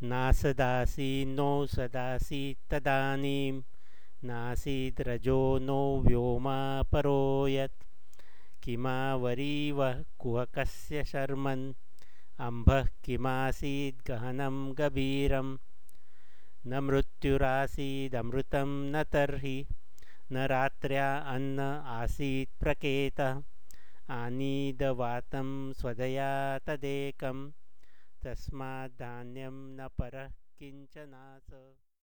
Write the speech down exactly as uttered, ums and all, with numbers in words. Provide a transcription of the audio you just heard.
नासदासीन्नो सदासीत्तदानीं नासीद्रजो नो व्योमा परो यत् किमावरीवः कुहकस्य शर्मन् अम्भः किमासीद्गहनं गभीरं न मृत्युरासीदमृतं न तर्हि न रात्र्या अन्न आसीत् प्रकेतः आनीदवातं स्वदया तदेकं तस्माद्धान्यं न परः किञ्चनास।